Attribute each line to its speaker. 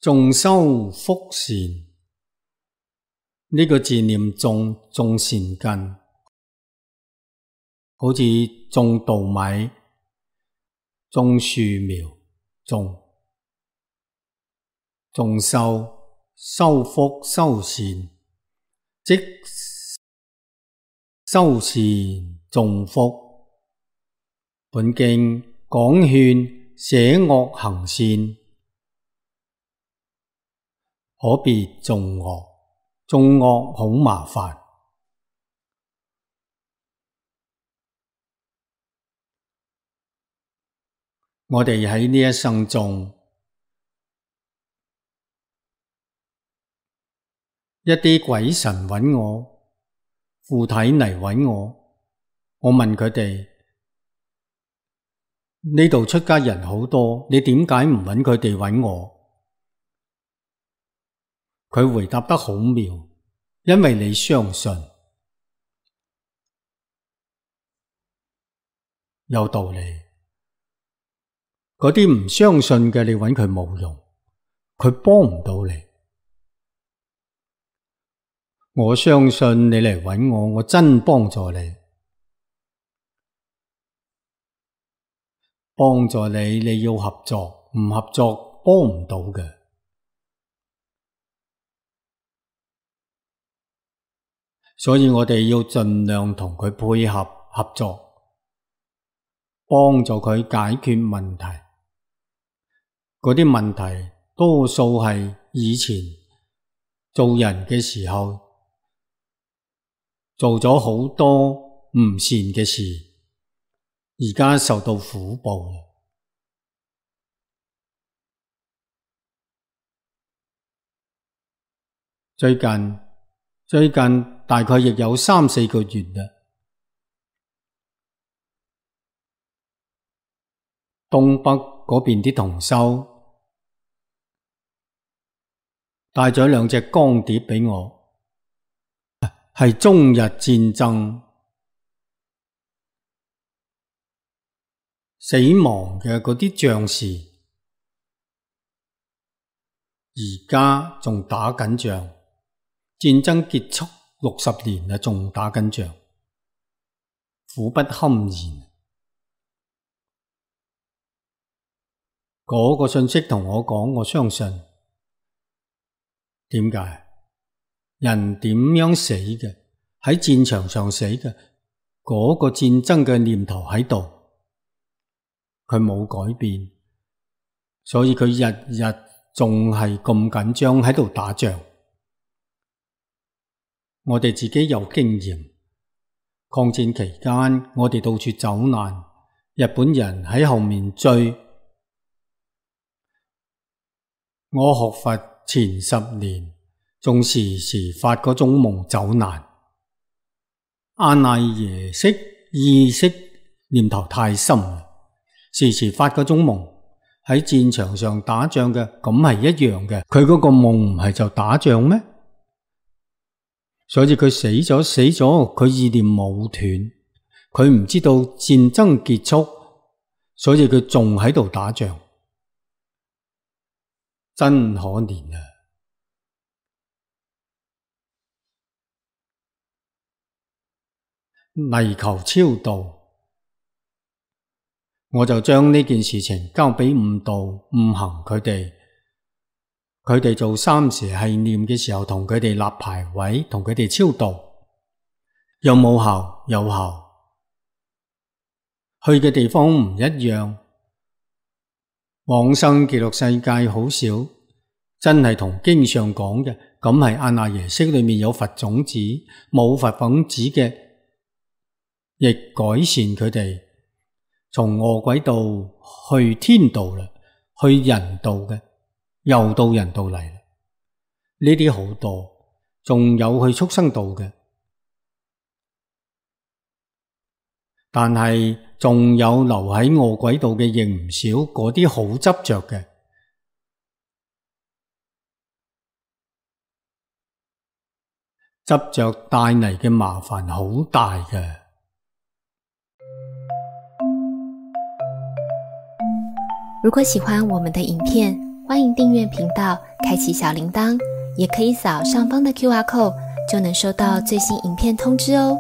Speaker 1: 眾修福善，呢個字念種善根，好似種稻米、種樹苗、種修福修善，即修善種福。本經講勸捨惡行善，可別種惡，種惡好麻煩。我哋喺呢一生中，一啲鬼神揾我，附體嚟揾我問佢哋，呢度出家人好多，你點解唔揾佢哋揾我？佢回答得好妙，因為你相信。有道理。嗰啲唔相信嘅，你揾佢冇用，佢幫唔到你。我相信你嚟揾我，我真幫助你。幫助你，你要合作，唔合作幫唔到嘅。所以我哋要盡量同佢配合合作，幫助佢解決問題。嗰啲問題多數係以前做人嘅時候做咗好多唔善嘅事，而家受到苦報。最近大概亦有3-4個月啦，東北嗰邊啲同修帶咗2隻光碟俾我，係中日戰爭死亡嘅嗰啲將士，而家仲打緊仗，戰爭結束60年啦，仲打緊仗，苦不堪言。嗰個信息同我講，我相信。點解？人點樣死嘅？喺戰場上死嘅，嗰個戰爭嘅念頭喺度，佢冇改變，所以佢日日仲係咁緊張喺度打仗。我哋自己有經驗，抗戰期間我哋到處走難，日本人喺後面追。我學佛前10年，仲時時發嗰種夢走難。阿賴耶識意識念頭太深，時時發嗰種夢，喺戰場上打仗嘅，咁係一樣嘅。佢嗰個夢唔係就打仗咩？所以佢死咗，佢意念冇斷，佢唔知道戰爭結束，所以佢仲喺度打仗，真可憐啊！泥求超度，我就將呢件事情交俾悟道、悟行佢哋做3時繫念嘅時候，同佢哋立牌位，同佢哋超度。有冇效？有效。去嘅地方唔一樣，往生極樂世界好少，真係同經上講嘅，咁係阿賴耶識裏面有佛種子，冇佛種子嘅，亦改善佢哋，從餓鬼道去天道啦，去人道嘅，又到人道嚟啦。呢啲好多，仲有去畜生道嘅，但係仲有留喺餓鬼道嘅亦唔少，嗰啲好執着嘅，執着帶嚟嘅麻煩好大嘅。
Speaker 2: 如果喜歡我們的影片，欢迎订阅频道，开启小铃铛，也可以扫上方的 QR code，就能收到最新影片通知哦。